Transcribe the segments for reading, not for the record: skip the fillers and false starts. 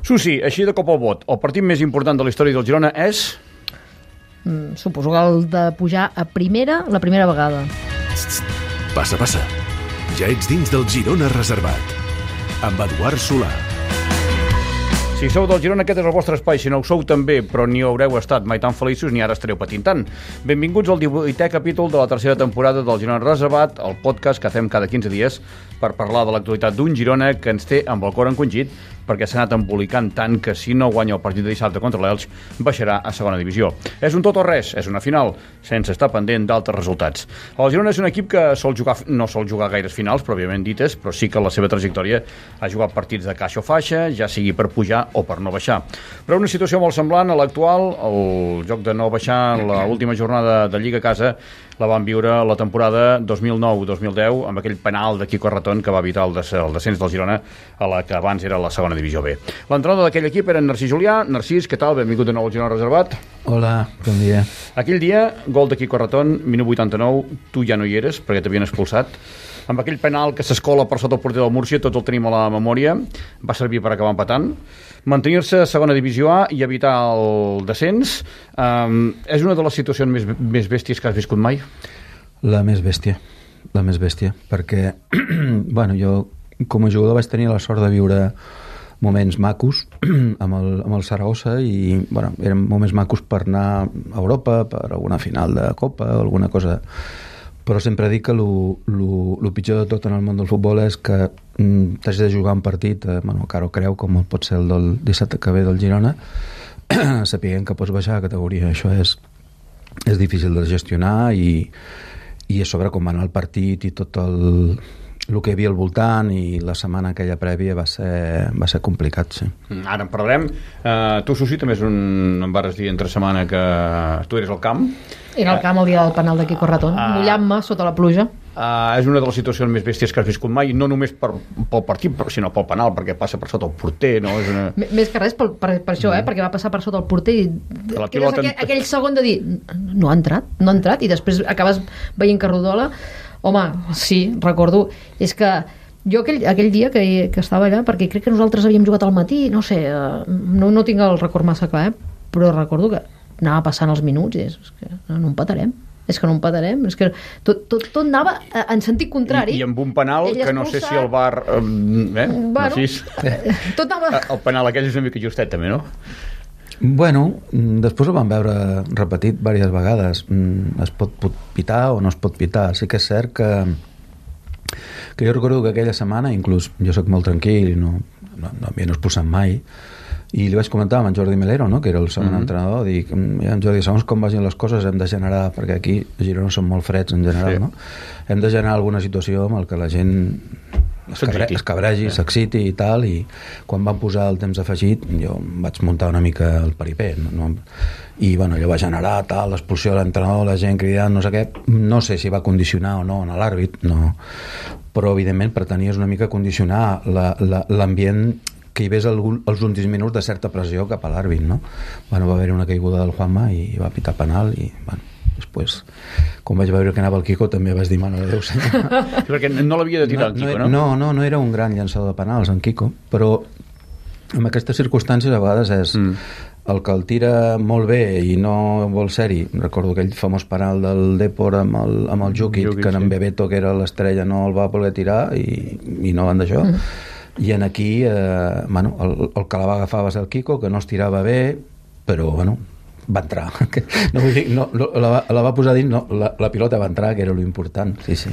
Susi, així de cop al vot, el partit més important de la història del Girona és... Suposo que el de pujar a primera la primera vegada. Passa, passa. Ja ets dins del Girona reservat. Amb Eduard Solà. Si sou del Girona, aquest és el vostre espai. Si no ho sou també, però ni haureu estat mai tan feliços ni ara estareu patint tant. Benvinguts al 18è capítol de la tercera temporada del Girona Reservat, el podcast que fem cada 15 dies per parlar de l'actualitat d'un Girona que ens té amb el cor encongit perquè s'ha anat embolicant tant que si no guanya el partit de dissabte contra l'Elx baixarà a segona divisió. És un tot o res, és una final, sense estar pendent d'altres resultats. El Girona és un equip que no sol jugar gaires finals, pròpiament dites, però sí que la seva trajectòria ha jugat partits de caixa o faixa, ja sigui per pujar o per no baixar. Però una situació molt semblant a l'actual, el joc de no baixar l'última jornada de Lliga a casa, la van viure la temporada 2009-2010 amb aquell penal de Quico Arratón que va evitar el descens del Girona a la que abans era la segona divisió B. L'entrenador d'aquell equip era Narcís Julià. Narcís, què tal? Benvingut de nou al Girona Reservat. Hola, bon dia. Aquell dia, gol de Quico Arratón, minut 89, tu ja no hi eres perquè t'havien expulsat. Amb aquell penal que s'escola per sota el porter del Múrcia, tots el tenim a la memòria, va servir per acabar empatant. Mantenir-se a segona divisió A i evitar el descens és una de les situacions més bèsties que has viscut mai? La més bèstia, perquè bueno, jo com a jugador vaig tenir la sort de viure moments macos amb el Saragossa i bueno, eren moments macos per anar a Europa, per alguna final de Copa o alguna cosa, però sempre dic que el pitjor de tot en el món del futbol és que t'has de jugar un partit, bueno, Caro creu, com pot ser el del dissabte que ve del Girona, sapiguent que pots baixar a categoria. Això és difícil de gestionar i a sobre com va anar el partit i tot el que hi havia al voltant i la setmana aquella prèvia va ser complicat, sí. Ara en parlarem. Tu, Susi, també em vas dir entre setmana que tu eres al camp. Era al camp el dia del penal de Quico Arratón, mullant-me sota la pluja. És una de les situacions més bèsties que has viscut mai, no només pel partit, sinó pel penal, perquè passa per sota el porter, no? És una... Més que res per això, perquè va passar per sota el porter i aquell segon de dir no ha entrat, i després acabes veient que rodola. Home, sí, recordo, és que jo aquell dia que estava allà, perquè crec que nosaltres havíem jugat al matí, no sé, no tinc el record massa clar, però recordo que anava passant els minuts i és que no empatarem. És que tot anava en sentit contrari. I amb un penal que no sé si el VAR... Tot anava... El penal aquell és una mica justet, també, no? Bueno, després ho vam veure repetit diverses vegades. Es pot pitar o no es pot pitar. Sí que és cert que jo recordo que aquella setmana, inclús jo soc molt tranquil i no havia expulsat mai, i li vaig comentar amb en Jordi Melero, no?, que era el segon entrenador, dic, en Jordi, segons com vagin les coses hem de generar, perquè aquí a Girona són molt freds en general, no? Hem de generar alguna situació amb el que la gent es cabregi, s'exciti i tal, i quan van posar el temps afegit jo vaig muntar una mica el paripé, i bueno, allò va generar tal, l'expulsió de l'entrenador, la gent cridant, no sé què, no sé si va condicionar o no en l'àrbit, no, però evidentment pretenies una mica condicionar l'ambient que hi ves els últims minuts de certa pressió cap a l'àrbit, no? Bueno, va haver una caiguda del Juanma i va pitar penal i, bueno, després, quan vaig veure que anava el Quico, també vaig dir, mare de Déu, senyor. Perquè no l'havia de tirar el Quico, no? No era un gran llançador de penals, en Quico, però en aquestes circumstàncies a vegades és el que el tira molt bé i no vol ser-hi. Recordo aquell famós penal del Depor amb el Jukic, que en Bebeto, que era l'estrella, no el va voler tirar i no van d'això. I en aquí bueno, el que la va agafar va ser el Quico, que no es tirava bé, però bueno, va entrar. No vull dir, la va posar dins, no, la pilota va entrar, que era l'important. Sí.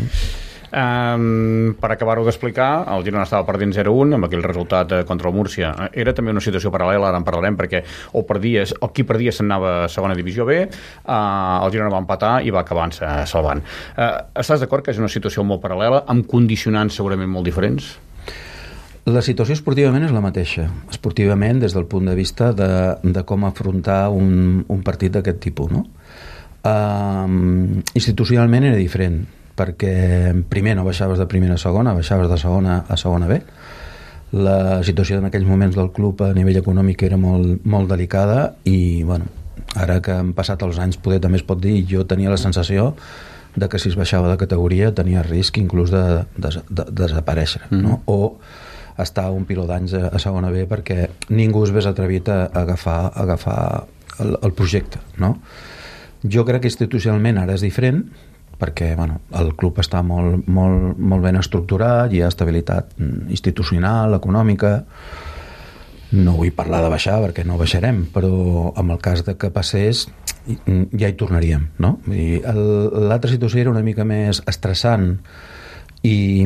Per acabar-ho d'explicar, el Girona estava perdent 0-1 amb aquell resultat contra el Múrcia. Era també una situació paral·lela, ara en parlarem, perquè qui perdia se'n anava a segona divisió B, el Girona va empatar i va acabar salvant. Estàs d'acord que és una situació molt paral·lela, amb condicionants segurament molt diferents? La situació esportivament és la mateixa. Esportivament, des del punt de vista de com afrontar un partit d'aquest tipus, no? Institucionalment era diferent, perquè primer no baixaves de primera a segona, baixaves de segona a segona B. La situació en aquells moments del club a nivell econòmic era molt, molt delicada i, bueno, ara que han passat els anys poder també es pot dir, jo tenia la sensació de que si es baixava de categoria tenia risc inclús de desaparèixer, no? O estar un piló d'anys a segona B perquè ningú es ves atrevit a agafar el projecte, no? Jo crec que institucionalment ara és diferent perquè el club està molt ben estructurat, hi ha estabilitat institucional, econòmica. No vull parlar de baixar perquè no baixarem, però en el cas de que passés ja hi tornaríem, no? L'altra situació era una mica més estressant i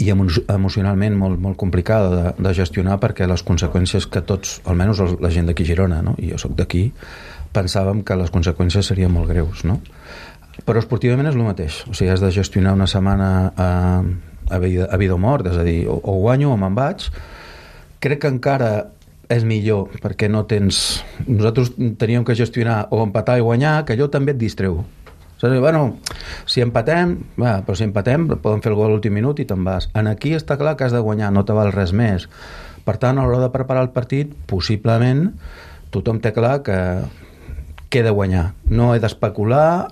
emocionalment molt complicada de gestionar perquè les conseqüències que tots, almenys la gent d'aquí a Girona, no? I jo soc d'aquí, pensàvem que les conseqüències serien molt greus, no? Però esportivament és el mateix, o sigui, has de gestionar una setmana a vida o mort, és a dir, o guanyo o me'n vaig. Crec que encara és millor perquè no tens... Nosaltres teníem que gestionar o empatar i guanyar, que allò també et distreu. Si empatem, però si empatem podem fer el gol a l'últim minut i te'n vas. Aquí està clar que has de guanyar, no te val res més. Per tant, a l'hora de preparar el partit, possiblement tothom té clar que he de guanyar. No he d'especular.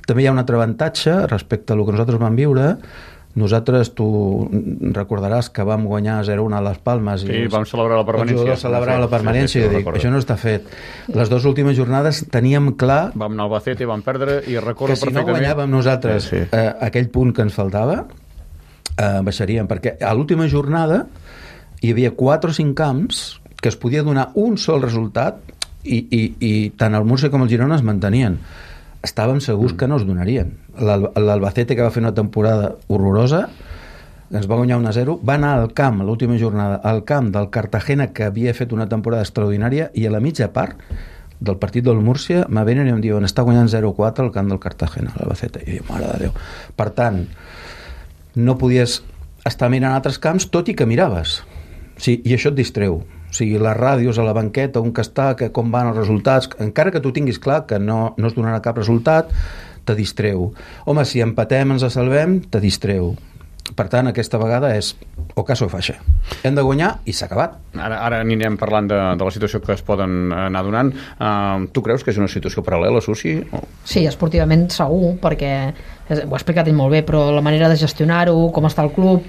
També hi ha un altre avantatge respecte a el que nosaltres vam viure. Nosaltres, tu recordaràs que vam guanyar 0-1 a les Palmes i vam celebrar la permanència. Els jugadors celebraven la permanència i dic, això no està fet. Les dues últimes jornades teníem clar... Vam anar al Albacete, vam perdre i recordo perfectament... Que si no guanyàvem nosaltres aquell punt que ens faltava, baixaríem, perquè a l'última jornada hi havia 4 o 5 camps que es podia donar un sol resultat i tant el Múrcia com el Girona es mantenien. Estàvem segurs que no es donarien. L'Albacete, que va fer una temporada horrorosa, ens va guanyar 1-0, va anar al camp, a l'última jornada, al camp del Cartagena, que havia fet una temporada extraordinària, i a la mitja part del partit del Múrcia me venen i em diuen està guanyant 0-4 al camp del Cartagena, l'Albacete. I diu, mare de Déu. Per tant, no podies estar mirant altres camps, tot i que miraves. Sí, i això et distreu. O sigui, les ràdios a la banqueta, on que està, com van els resultats, encara que tu tinguis clar que no es donarà cap resultat, te distreu. Home, si empatem, ens salvem, te distreu. Per tant, aquesta vegada és o caso o faixa. Hem de guanyar i s'ha acabat. Ara anirem parlant de la situació que es poden anar donant. Tu creus que és una situació paral·lela, Susi? Sí, esportivament segur, perquè ho ha explicat ell molt bé, però la manera de gestionar-ho, com està el club...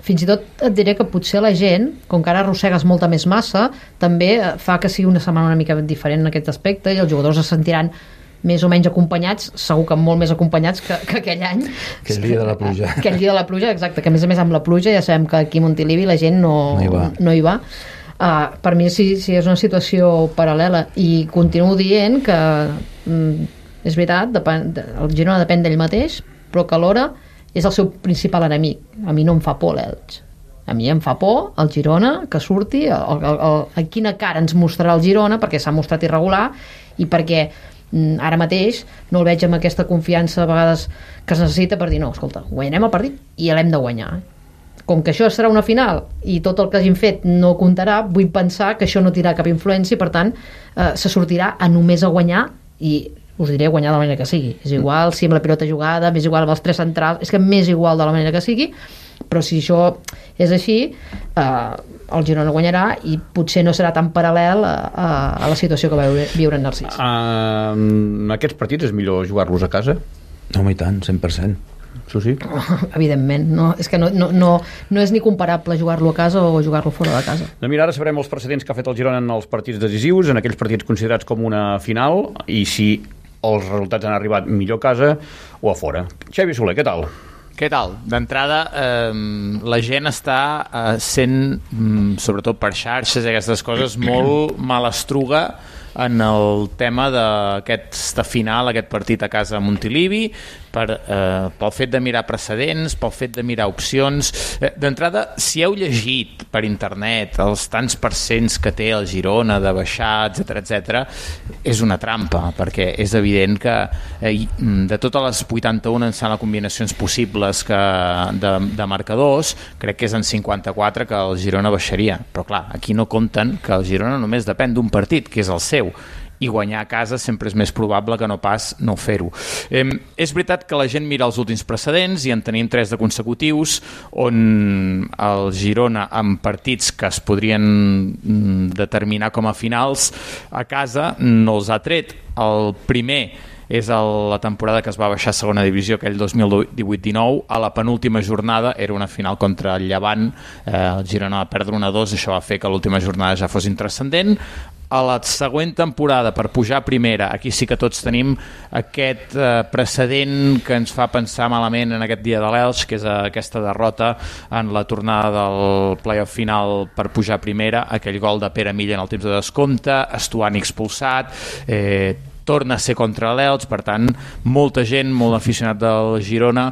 fins i tot et diré que potser la gent, com que ara arrossegues molta més massa, també fa que sigui una setmana una mica diferent en aquest aspecte i els jugadors es sentiran més o menys acompanyats, segur que molt més acompanyats que aquell any. Aquell dia de la pluja. Aquell dia de la pluja, exacte, que a més amb la pluja ja sabem que aquí a Montilivi la gent no hi va. Per mi sí és una situació paral·lela i continuo dient que és veritat, el Girona depèn d'ell mateix, però que alhora és el seu principal enemic. A mi no em fa por l'Elx. A mi em fa por el Girona que surti, a quina cara ens mostrarà el Girona, perquè s'ha mostrat irregular i perquè ara mateix no el veig amb aquesta confiança a vegades que es necessita per dir, no, escolta, guanyarem el partit i l'hem de guanyar. Com que això serà una final i tot el que hagin fet no comptarà, vull pensar que això no tindrà cap influència i per tant se sortirà a només a guanyar i us diré guanyar de la manera que sigui. És igual si amb la pilota jugada, m'és igual amb els 3 centrals, és que m'és igual de la manera que sigui, però si això és així, el Girona guanyarà i potser no serà tan paral·lel a la situació que va viure en Narcís. Aquests partits és millor jugar-los a casa? Home, i tant, 100%. Susi? Evidentment, no, és que no és ni comparable jugar-lo a casa o jugar-lo fora de casa. Mira, ara sabrem els precedents que ha fet el Girona en els partits decisius, en aquells partits considerats com una final, i si els resultats han arribat millor a casa o a fora. Xavi Soler, què tal? Què tal? D'entrada, la gent està sent, sobretot per xarxes i aquestes coses, molt malastruga en el tema d'aquesta final, aquest partit a casa a Montilivi, pel fet de mirar precedents, pel fet de mirar opcions. D'entrada, si heu llegit per internet els tants percents que té el Girona de baixar, etc, és una trampa, perquè és evident que de totes les 81 en sala combinacions possibles de marcadors, crec que és en 54 que el Girona baixaria. Però clar, aquí no compten que el Girona només depèn d'un partit, que és el seu, i guanyar a casa sempre és més probable que no pas no fer-ho. És veritat que la gent mira els últims precedents i en tenim 3 de consecutius on el Girona amb partits que es podrien determinar com a finals a casa no els ha tret. El primer és la temporada que es va baixar a segona divisió, aquell 2018-19. A la penúltima jornada era una final contra el Llevant, el Girona va perdre 1-2, això va fer que l'última jornada ja fos intranscendent. A la següent temporada, per pujar a primera, aquí sí que tots tenim aquest precedent que ens fa pensar malament en aquest dia de l'Elx, que és aquesta derrota en la tornada del playoff final per pujar a primera, aquell gol de Pere Milla en el temps de descompte, Estuani expulsat, torna a ser contra l'Elx, per tant molta gent, molt aficionat del Girona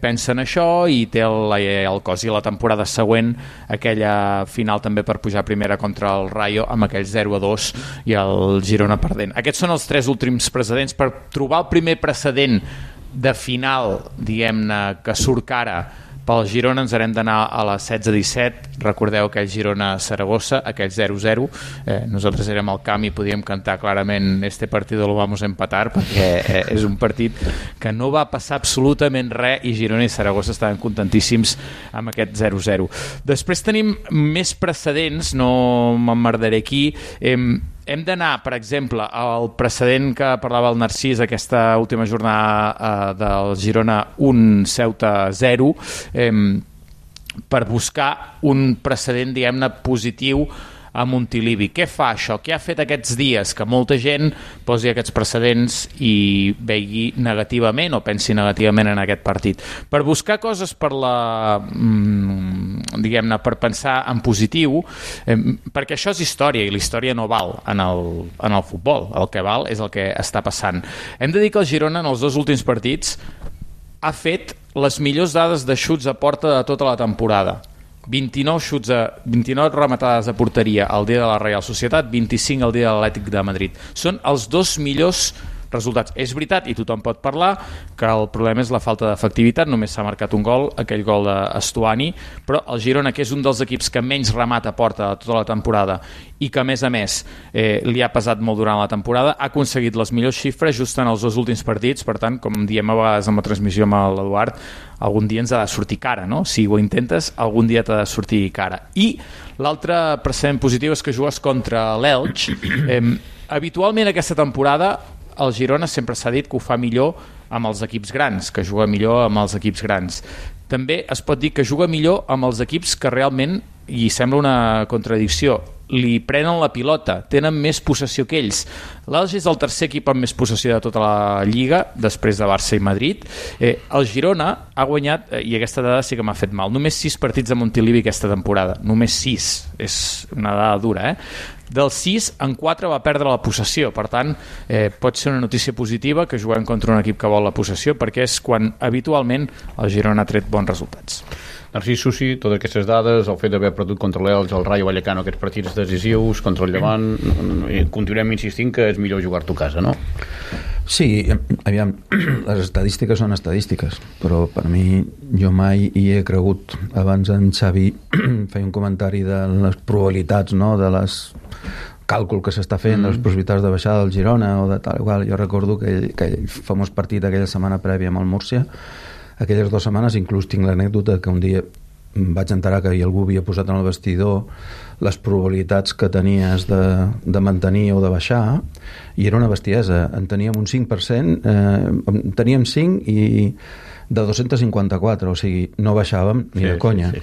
pensa en això i té el cos. I la temporada següent aquella final també per pujar a primera contra el Rayo amb aquell 0-2 i el Girona perdent. Aquests són els 3 últims precedents. Per trobar el primer precedent de final, diguem-ne, que surt cara pel Girona, ens haurem d'anar a la 16-17. Recordeu aquell Girona-Saragossa, aquell 0-0. Nosaltres érem al camp i podíem cantar clarament "este partido lo vamos a empatar", perquè és un partit que no va passar absolutament res i Girona i Saragossa estaven contentíssims amb aquest 0-0. Després tenim més precedents, no m'emmerdaré aquí. Hem d'anar, per exemple, al precedent que parlava el Narcís, aquesta última jornada del Girona 1, Ceuta 0, per buscar un precedent, diguem-ne, positiu a Montilivi. Què fa això? Què ha fet aquests dies que molta gent posi aquests precedents i vegi negativament o pensi negativament en aquest partit? Per buscar coses per diguem-ne, per pensar en positiu, perquè això és història i la història no val en el futbol. El que val és el que està passant. Hem de dir que el Girona en els 2 últims partits ha fet les millors dades de xuts a porta de tota la temporada. 29 rematades a porteria el dia de la Real Societat, 25 el dia de l'Atlètic de Madrid. Són els 2 millors resultats. És veritat, i tothom pot parlar, que el problema és la falta d'efectivitat. Només s'ha marcat un gol, aquell gol d'Estuani, però el Girona, que és un dels equips que menys remata a porta de tota la temporada i que a més li ha pesat molt durant la temporada, ha aconseguit les millors xifres just en els 2 últims partits. Per tant, com diem a vegades en la transmissió amb l'Eduard, algun dia ens ha de sortir cara, no? Si ho intentes, algun dia t'ha de sortir cara. I l'altre precedent positiu és que jugues contra l'Elx. Habitualment aquesta temporada el Girona sempre s'ha dit que ho fa millor amb els equips grans, que juga millor amb els equips grans. També es pot dir que juga millor amb els equips que realment, i sembla una contradicció, li prenen la pilota, tenen més possessió que ells. L'Elx és el tercer equip amb més possessió de tota la Lliga, després de Barça i Madrid. El Girona ha guanyat, i aquesta dada sí que m'ha fet mal, només 6 partits a Montilivi aquesta temporada, només 6, és una dada dura, Dels 6, en 4 va perdre la possessió. Per tant, pot ser una notícia positiva que juguem contra un equip que vol la possessió, perquè és quan habitualment el Girona ha tret bons resultats. Narcís Susi, totes aquestes dades, el fet d'haver perdut contra l'Elx, el Rayo Vallecano, aquests partits decisius, contra el Llevant, continuem insistint que és millor jugar-t'ho a casa, no? Sí, aviam, les estadístiques són estadístiques, però per mi jo mai hi he cregut. Abans en Xavi feia un comentari de les probabilitats, no?, de les càlcul que s'està fent, de les possibilitats de baixada del Girona o de tal igual. Jo recordo que aquell famós partit aquella setmana prèvia amb el Múrcia, aquelles 2 setmanes, inclús tinc l'anècdota que un dia vaig enterar que algú havia posat en el vestidor les probabilitats que tenies de mantenir o de baixar, i era una bestiesa. En teníem un 5%, teníem 5 i de 254, o sigui, no baixàvem ni de conya. Sí.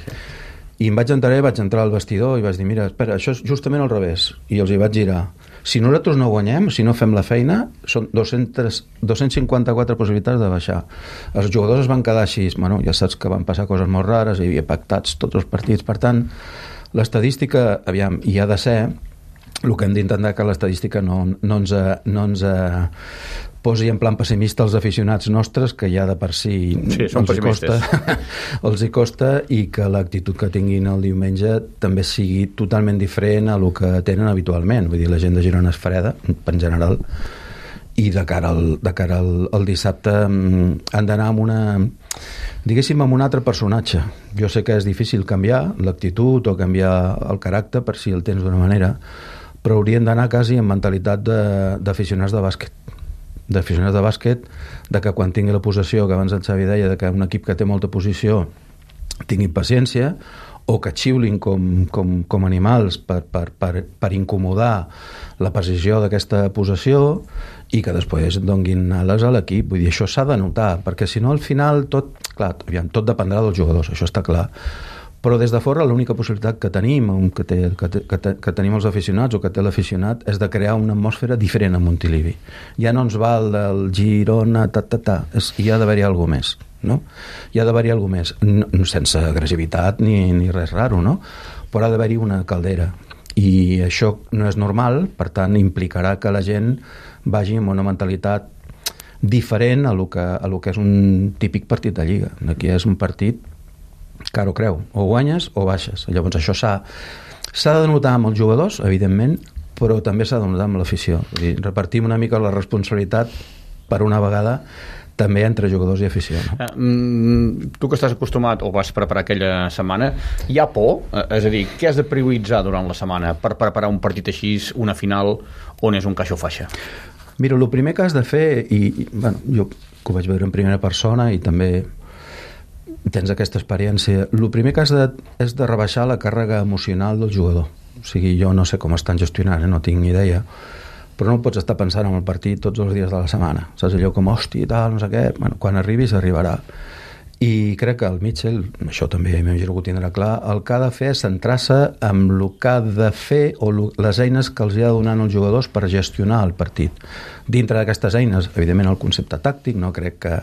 I em vaig entrar al vestidor i vaig dir, mira, espera, això és justament al revés. I els hi vaig girar. Si nosaltres no guanyem, si no fem la feina, són 254 possibilitats de baixar. Els jugadors es van quedar així. Bueno, ja saps que van passar coses molt rares, hi havia pactats tots els partits. Per tant, l'estadística, aviam, hi ha de ser, el que hem d'intentar que l'estadística no ens posi en plan pessimista els aficionats nostres, que ja de per si els hi costa, i que l'actitud que tinguin el diumenge també sigui totalment diferent a el que tenen habitualment. Vull dir, la gent de Girona és freda, en general, i de cara al dissabte han d'anar amb amb un altre personatge. Jo sé que és difícil canviar l'actitud o canviar el caràcter per si el tens d'una manera, però haurien d'anar quasi amb mentalitat d'aficionats de bàsquet, de que quan tingui la possessió, que abans en Xavi deia, de que un equip que té molta posició tingui paciència, o que xiulin com animals per incomodar la precisió d'aquesta possessió i que després donguin ales a l'equip. Vull dir, això s'ha de notar, perquè si no al final tot dependrà dels jugadors, això està clar. Però des de fora l'única possibilitat que tenim, que tenim els aficionats o que té l'aficionat, és de crear una atmosfera diferent a Montilivi. Ja no ens val del Girona, hi ha d'haver-hi alguna més, no? Hi ha d'haver-hi alguna més, sense agressivitat ni res raro, no? Però ha d'haver-hi una caldera. I això no és normal, per tant implicarà que la gent vagi amb una mentalitat diferent a lo que és un típic partit de Lliga. Aquí és un partit cara o creu, o guanyes o baixes. Llavors això s'ha de notar amb els jugadors, evidentment, però també s'ha de notar amb l'afició. Repartim una mica la responsabilitat per una vegada també entre jugadors i afició, no? Tu que estàs acostumat o vas preparar aquella setmana, hi ha por? És a dir, què has de prioritzar durant la setmana per preparar un partit així, una final on és un caixó faixa? Mira, el primer que has de fer, bueno, jo que ho vaig veure en primera persona i també tens aquesta experiència, el primer que has és de rebaixar la càrrega emocional del jugador. O sigui, jo no sé com estan gestionant, no tinc ni idea, però no pots estar pensant en el partit tots els dies de la setmana. Saps allò com, hòstia, tal, no sé què. Bueno, quan arribis, arribarà. I crec que el Mitchell, això també m'imagino que ho tindrà clar, el que ha de fer és centrar-se en el que ha de fer o les eines que els ha de donar als jugadors per gestionar el partit. Dintre d'aquestes eines, evidentment, el concepte tàctic, no crec que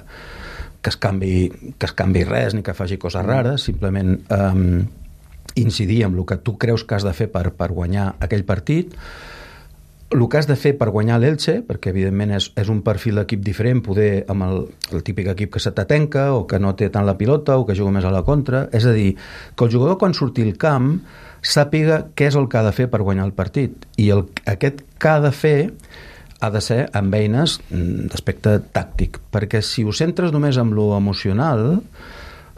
es canvi res ni que faci coses rares, simplement incidir en el que tu creus que has de fer per guanyar aquell partit, el que has de fer per guanyar l'Elche, perquè evidentment és un perfil d'equip diferent, poder amb el típic equip que se t'atenca o que no té tant la pilota o que juga més a la contra, és a dir, que el jugador quan surti al camp sàpiga què és el que ha de fer per guanyar el partit, i aquest que ha de fer ha de ser amb eines d'aspecte tàctic, perquè si ho centres només en lo emocional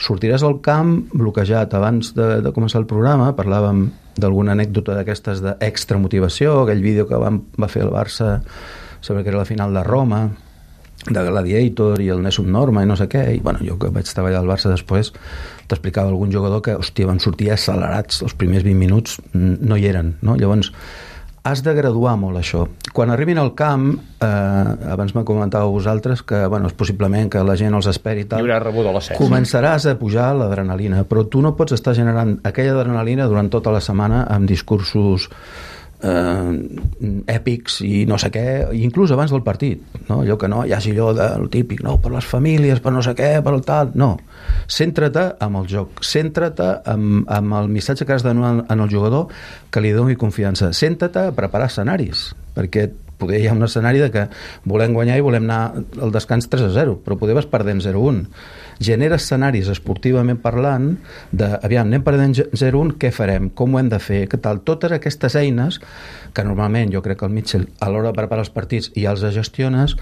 sortiràs al camp bloquejat. Abans de començar el programa parlàvem d'alguna anècdota d'aquestes d'extra motivació, aquell vídeo que va fer el Barça, sembla que era la final de Roma, de Gladiator i el Nessun Norma i no sé què, i bueno, jo que vaig treballar al Barça després t'explicava algun jugador que, hòstia, van sortir accelerats, els primers 20 minuts no hi eren, no? Llavors has de graduar molt això. Quan arribin al camp, abans me comentàveu vosaltres que, bueno, és possiblement que la gent els esperi i tal, començaràs a pujar l'adrenalina, però tu no pots estar generant aquella adrenalina durant tota la setmana amb discursos èpics i no sé què, inclús abans del partit, no? Allò que no hi hagi allò del típic, no, per les famílies, per no sé què, per el tal, no. Cèntrate amb el joc, cèntrate amb el missatge que has de donar al jugador que li doni confiança, cèntrate a preparar escenaris, perquè poder hi ha un escenari de que volem guanyar i volem anar al descans 3-0, però poder vas perdent 0-1. Genera escenaris esportivament parlant de, aviam, anem perdent 0-1, què farem? Com ho hem de fer? Què tal? Totes aquestes eines que normalment jo crec que el Mitchell a l'hora de preparar els partits ja els gestiones,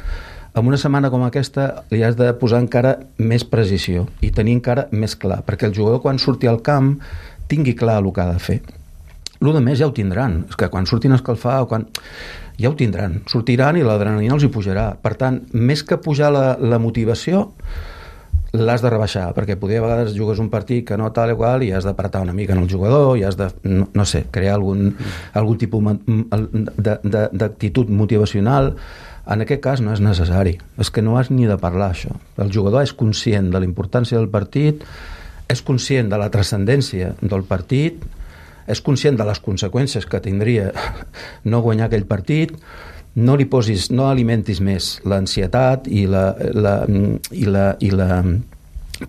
en una setmana com aquesta li has de posar encara més precisió i tenir encara més clar, perquè el jugador quan surti al camp tingui clar el que ha de fer. El de més ja ho tindran, és que quan surtin a escalfar o quan... ja ho tindran, sortiran i l'adrenalina els hi pujarà. Per tant, més que pujar la motivació, l'has de rebaixar, perquè poder a vegades jugues un partit que no tal i qual i has d'apartar una mica en el jugador i has de, no sé, crear algun tipus d'actitud motivacional. En aquest cas no és necessari, és que no has ni de parlar això. El jugador és conscient de la importància del partit, és conscient de la transcendència del partit, és conscient de les conseqüències que tindria no guanyar aquell partit, no alimentis més l'ansietat i la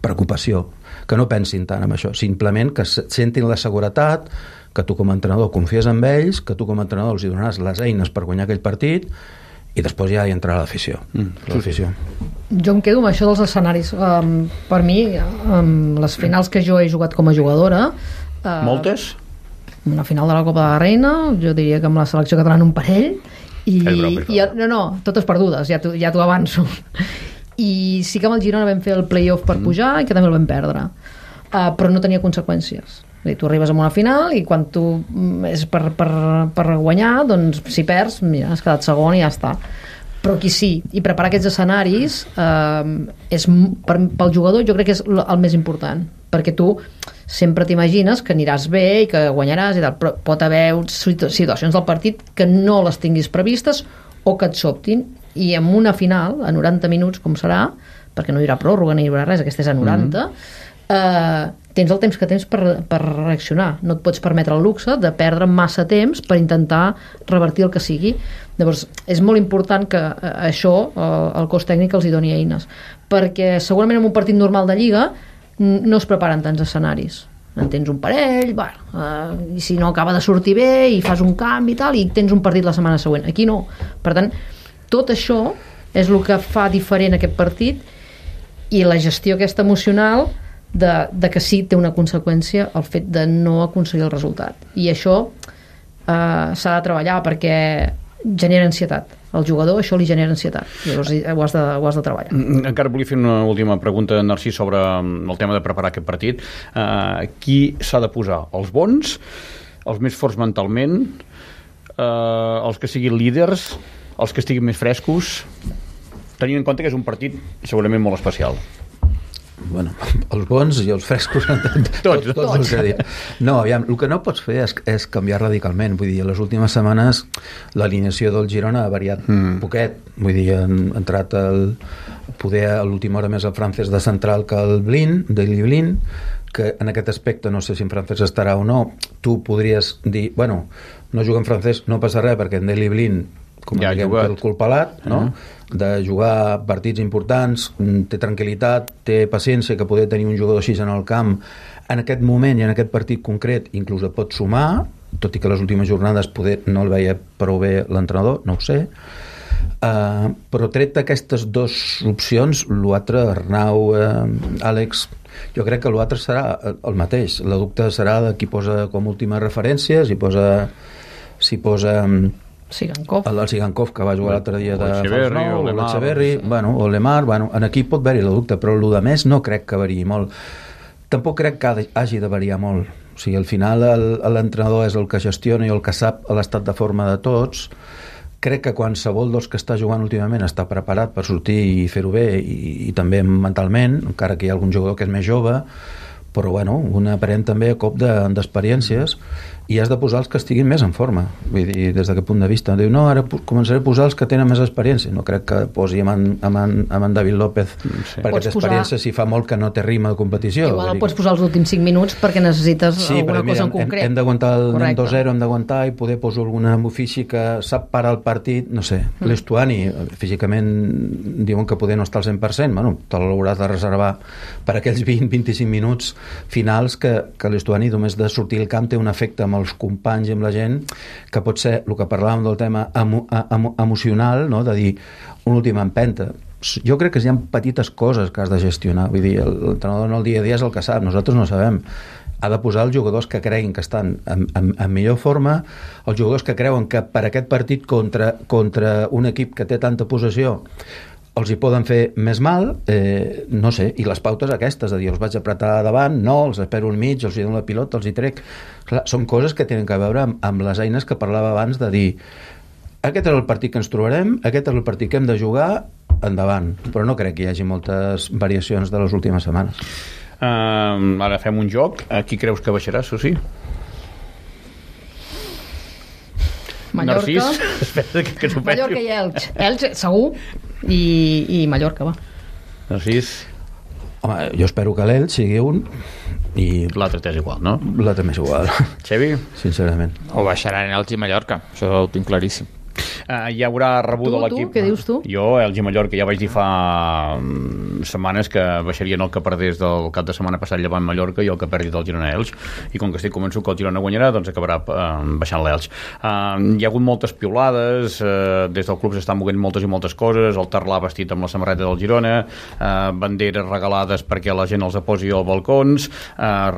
preocupació, que no pensin tant en això, simplement que sentin la seguretat, que tu com a entrenador confies en ells, que tu com a entrenador els donaràs les eines per guanyar aquell partit i després ja hi entrarà l'afició. Jo em quedo amb això dels escenaris. Per mi, les finals que jo he jugat com a jugadora... Moltes? Una final de la Copa de la Reina, jo diria que amb la selecció catalana un parell, no, totes perdudes, ja t'ho avanço. I sí que amb el Girona vam fer el play-off per pujar i que també el vam perdre, però no tenia conseqüències. Tu arribes a una final i quan tu és per guanyar, doncs si perds, mira, has quedat segon i ja està. Però aquí sí, i preparar aquests escenaris pel jugador jo crec que és el més important, perquè tu sempre t'imagines que aniràs bé i que guanyaràs i tal, però pot haver situacions del partit que no les tinguis previstes o que et sobtin, i en una final a 90 minuts, com serà, perquè no hi haurà pròrroga ni hi haurà res, aquesta és a 90, tens el temps que tens per reaccionar. No et pots permetre el luxe de perdre massa temps per intentar revertir el que sigui. Llavors, és molt important que això el cos tècnic els hi doni eines, perquè segurament en un partit normal de Lliga no es preparen tants escenaris. En tens un parell, i si no acaba de sortir bé i fas un canvi i tal, i tens un partit la setmana següent. Aquí no. Per tant, tot això és el que fa diferent aquest partit, i la gestió aquesta emocional de que sí té una conseqüència el fet de no aconseguir el resultat, i això s'ha de treballar perquè genera ansietat. Al jugador això li genera ansietat, llavors ho has de treballar. Encara volia fer una última pregunta, Narcís, sobre el tema de preparar aquest partit. Qui s'ha de posar? Els bons? Els més forts mentalment? Els que siguin líders? Els que estiguin més frescos? Tenint en compte que és un partit segurament molt especial. Bueno, els bons i els frescos tots. No, aviam, el que no pots fer és canviar radicalment. Vull dir, les últimes setmanes l'alineació del Girona ha variat poquet. Vull dir, han entrat poder a l'última hora més el Francesc de central que el Daily Blin, que en aquest aspecte no sé si en Francesc estarà o no. Tu podries dir, bueno, no juga en Francesc, no passa res, perquè en Daily Blin, com ja diguem, el cul pelat, no? De jugar partits importants, té tranquil·litat, té paciència, que poder tenir un jugador així en el camp en aquest moment i en aquest partit concret inclús et pot sumar, tot i que les últimes jornades poder no el veia prou bé l'entrenador, no ho sé, però tret d'aquestes dues opcions, l'altre, Arnau, Àlex, jo crec que l'altre serà el mateix. El dubte serà de qui posa com última referència, si posa Sigankov. El Sigankov, que va jugar l'altre dia de l'Echeverri, o l'Emar, en aquí pot haver-hi el dubte, però el de més no crec que variï molt. Tampoc crec que hagi de variar molt. O sigui, al final l'entrenador és el que gestiona i el que sap l'estat de forma de tots. Crec que qualsevol dels que està jugant últimament està preparat per sortir i fer-ho bé, i també mentalment, encara que hi ha algun jugador que és més jove, però bueno, un aparent també a cop d'experiències, i has de posar els que estiguin més en forma. Vull dir, des d'aquest punt de vista, diu, no, ara començaré a posar els que tenen més experiència. No crec que posi amb en David López, perquè té experiència si fa molt que no té ritme de competició. Igual el pots posar els últims 5 minuts perquè necessites alguna cosa en concret. Hem d'aguantar el 2-0, hem d'aguantar, i poder posar alguna ofici que sap parar el partit, no sé. L'Estuani, físicament diuen que poder no està al 100%, bueno, te l'hauràs de reservar per aquells 20-25 minuts finals que l'Estuani només de sortir al camp té un efecte amb els companys i amb la gent, que pot ser el que parlàvem del tema emocional, no? De dir una última empenta. Jo crec que hi ha petites coses que has de gestionar. Vull dir, l'entrenador en el dia a dia és el que sap, nosaltres no sabem. Ha de posar els jugadors que creguin que estan en millor forma, els jugadors que creuen que per aquest partit contra un equip que té tanta possessió els hi poden fer més mal, no sé, i les pautes aquestes, de dir, els vaig apretar davant, no, els espero al mig, els hi dono la pilota, els hi trec. Clar, són coses que tenen que veure amb les eines que parlava abans, de dir, aquest és el partit que ens trobarem, aquest és el partit que hem de jugar, endavant. Però no crec que hi hagi moltes variacions de les últimes setmanes. Ara fem un joc. Qui creus que baixarà, Susi? Mallorca. Narcís, que Mallorca i Elx. Elx, segur, i Mallorca, va. Narcís? Home, jo espero que l'Elx sigui un i l'altre t'és igual, no? L'altre m'és igual. Xevi? Sincerament. O baixaran Elx i Mallorca, això ho tinc claríssim. Hi haurà rebuda l'equip. Què dius tu? Jo, Elx i Mallorca, ja vaig dir fa setmanes que baixarien el que perdés del cap de setmana passat llevant Mallorca i el que perdi del Girona Elx, i com que estic convençut que el Girona guanyarà, doncs acabarà baixant l'Elx. Hi ha hagut moltes piulades, des del club s'estan movent moltes i moltes coses, el Tarlà vestit amb la samarreta del Girona, banderes regalades perquè la gent els posi als balcons,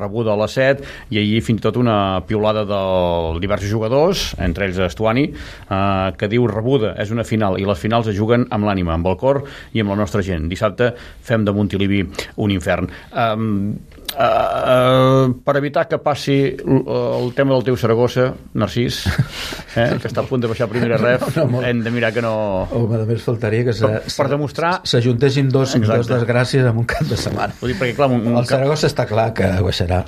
rebuda a les 7, i ahir fins i tot una piulada de diversos jugadors, entre ells Estuani, que diu rebuda, és una final, i les finals es juguen amb l'ànima, amb el cor i amb la nostra gent. Dissabte fem de Montilivi un infern. Per evitar que passi el tema del teu Saragossa, Narcís, que està a punt de baixar a primera ref, hem de mirar que no... Home, només faltaria que per demostrar... s'ajuntessin dos desgràcies en un cap de setmana. Vull dir, perquè, clar, el Saragossa està clar que baixarà.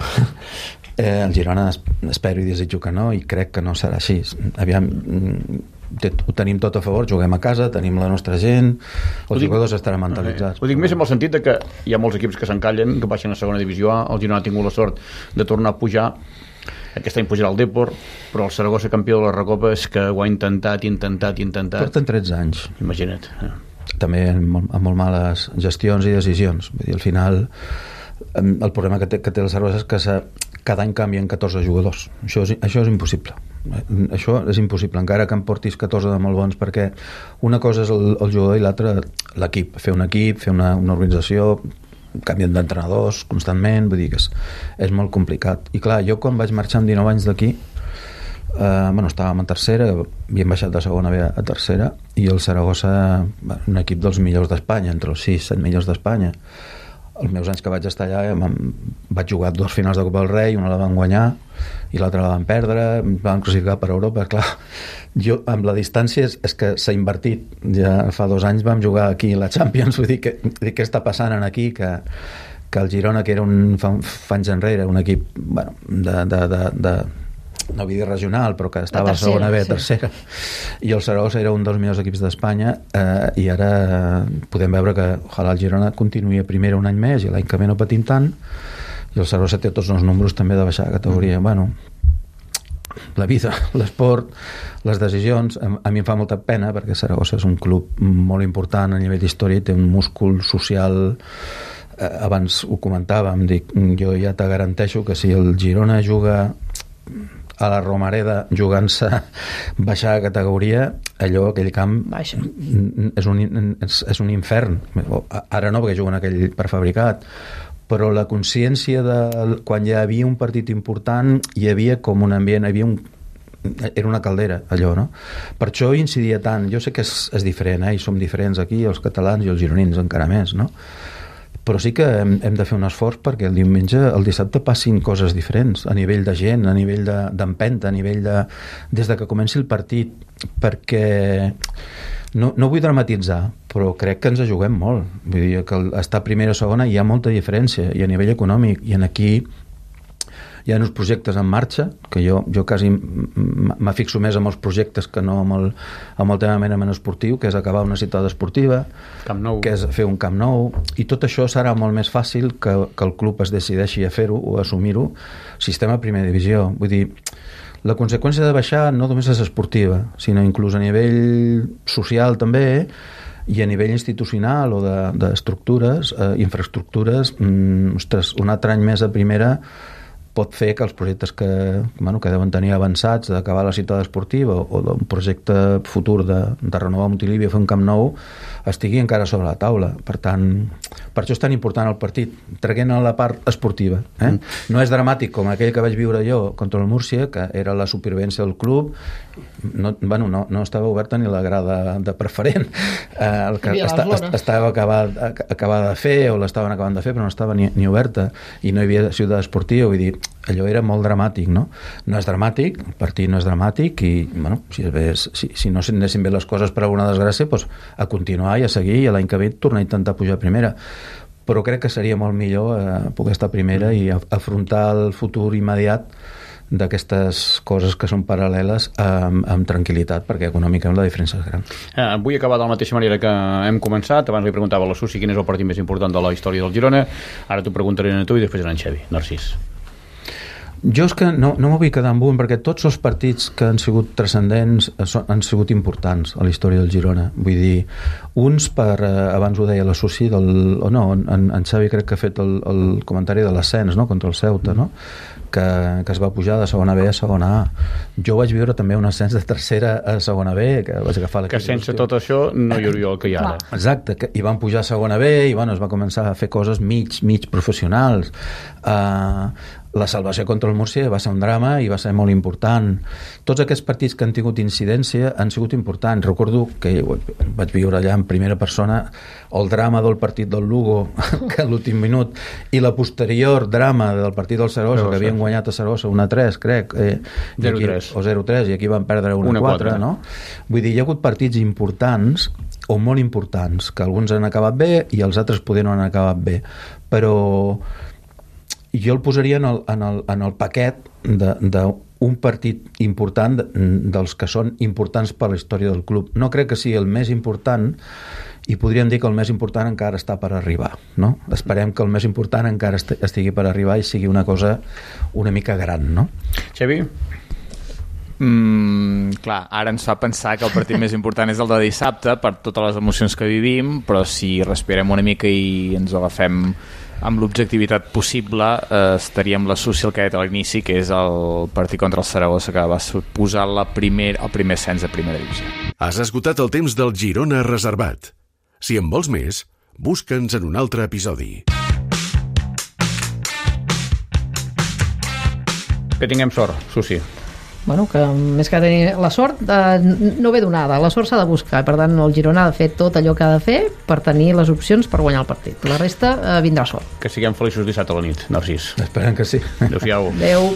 El Girona espero i desitjo que no, i crec que no serà així. Aviam, ho tenim tot a favor, juguem a casa, tenim la nostra gent, els jugadors estaran mentalitzats. Ho dic més amb el sentit de que hi ha molts equips que s'encallen, que baixen a segona divisió A, el Girona ha tingut la sort de tornar a pujar, aquest any pujarà el Depor, però el Saragossa campió de la Recopa és que ho ha intentat. Porten 13 anys. Imagina't. També amb molt males gestions i decisions. Vull dir, al final, el problema que té el Saragossa és que cada any canvien 14 jugadors. Això és impossible. Això és impossible, encara que en portis 14 de molt bons, perquè una cosa és el jugador i l'altra l'equip. Fer un equip, fer una organització, canvien d'entrenadors constantment, vull dir que és molt complicat. I clar, jo quan vaig marxar amb 19 anys d'aquí, estàvem en tercera, havíem baixat de segona B a tercera, i el Saragossa, un equip dels millors d'Espanya, entre els 6-7 millors d'Espanya. Els meus anys que vaig estar allà vaig jugar 2 finals de Copa del Rei, una la van guanyar i l'altra la van perdre, van classificar per Europa. Clar, jo amb la distància és que s'ha invertit. Ja fa 2 anys vam jugar aquí a la Champions, vull dir què està passant aquí, que el Girona, que era fa anys enrere un equip de no vull dir regional, però que estava a segona B, tercera, i el Saragossa era un dels millors equips d'Espanya, i ara podem veure que ojalà el Girona continuï a primera un any més i l'any que ve no patim tant, i el Saragossa té tots els números també de baixar de categoria. La vida, l'esport, les decisions, a mi em fa molta pena perquè Saragossa és un club molt important a nivell d'història, té un múscul social. Abans ho comentàvem, jo ja te garanteixo que si el Girona juga a la Romareda jugant-se baixar de categoria, aquell camp és un infern. Ara no, perquè juguen aquell prefabricat, però la consciència de quan ja havia un partit important, hi havia com un ambient, era una caldera allò, no? Per això incidia tant. Jo sé que és diferent, i som diferents aquí, els catalans i els gironins encara més, no? Però sí que hem de fer un esforç perquè el dissabte passin coses diferents a nivell de gent, a nivell d'empenta, a nivell des de que comenci el partit, perquè no vull dramatitzar, però crec que ens juguem molt. Vull dir que estar primera o segona hi ha molta diferència, i a nivell econòmic, i aquí hi ha uns projectes en marxa que jo quasi m'afixo més amb els projectes que no amb el tema merament esportiu, que és acabar una ciutat esportiva, que és fer un camp nou, i tot això serà molt més fàcil que el club es decideixi a fer-ho o a assumir-ho sistema primera divisió. Vull dir, la conseqüència de baixar no només és esportiva, sinó inclús a nivell social també, i a nivell institucional o d'estructures, infraestructures, un altre any més a primera pot fer que els projectes que deuen tenir avançats d'acabar la ciutat esportiva o d'un projecte futur de renovar Montilivi o fer un camp nou estigui encara sobre la taula. Per tant, per això és tan important el partit, traient a la part esportiva. No és dramàtic com aquell que vaig viure jo contra el Múrcia, que era la supervivència del club. No estava oberta ni la grada de preferent. El que estava acabada de fer o l'estaven acabant de fer, però no estava ni oberta, i no hi havia ciutat esportiva. Vull dir, allò era molt dramàtic, no? No és dramàtic, el partit no és dramàtic, i si no s'anessin bé les coses per alguna desgràcia, doncs a continuar i a seguir, i l'any que ve tornar a intentar pujar a primera. Però crec que seria molt millor poder estar a primera i afrontar el futur immediat d'aquestes coses que són paral·leles amb tranquil·litat, perquè econòmicament la diferència és gran. Vull acabar de la mateixa manera que hem començat. Abans li preguntava a la Susi quin és el partit més important de la història del Girona, ara t'ho preguntaré a tu i després a en Xevi. Narcís. Jo és que no m'ho vull quedar amb un, perquè tots els partits que han sigut transcendents han sigut importants a la història del Girona. Vull dir, uns abans ho deia la Susi, en Xavi crec que ha fet el comentari de l'ascens, no?, contra el Ceuta, no?, que es va pujar de segona B a segona A. Jo vaig viure també un ascens de tercera a segona B, que vaig agafar que sense tot això no hi hauria el que hi ha ara. Exacte, i van pujar a segona B i es va començar a fer coses mig professionals. La salvació contra el Múrcia va ser un drama i va ser molt important. Tots aquests partits que han tingut incidència han sigut importants. Recordo que vaig viure allà en primera persona el drama del partit del Lugo que a l'últim minut, i la posterior drama del partit del Saragossa, que havien guanyat a Saragossa 1-3, crec, 0-3 o 0-3, i aquí van perdre 1-4, no? Vull dir, hi ha hagut partits importants o molt importants, que alguns han acabat bé i els altres poder no han acabat bé, però jo el posaria en el paquet d'un partit important, dels que són importants per la història del club. No crec que sigui el més important, i podríem dir que el més important encara està per arribar, no? Esperem que el més important encara estigui per arribar i sigui una cosa una mica gran, no? Xavi? Clar, ara ens fa pensar que el partit més important és el de dissabte per totes les emocions que vivim, però si respirem una mica i ens agafem amb l'objectivitat possible, estaríem la suci el que he dit a l'inici, que és el partit contra el Saragossa, que va suposar el primer ascens a primera divisió. Has esgotat el temps del Girona Reservat. Si en vols més, busca'ns en un altre episodi. Que tinguem sort, Susi. Bueno, que més que tenir la sort no ve donada, la sort s'ha de buscar, per tant el Girona ha de fer tot allò que ha de fer per tenir les opcions per guanyar el partit, la resta vindrà sort. Que siguem feliços dissabte a la nit, Narcís. Esperem que sí. Adéu-siau. Adéu.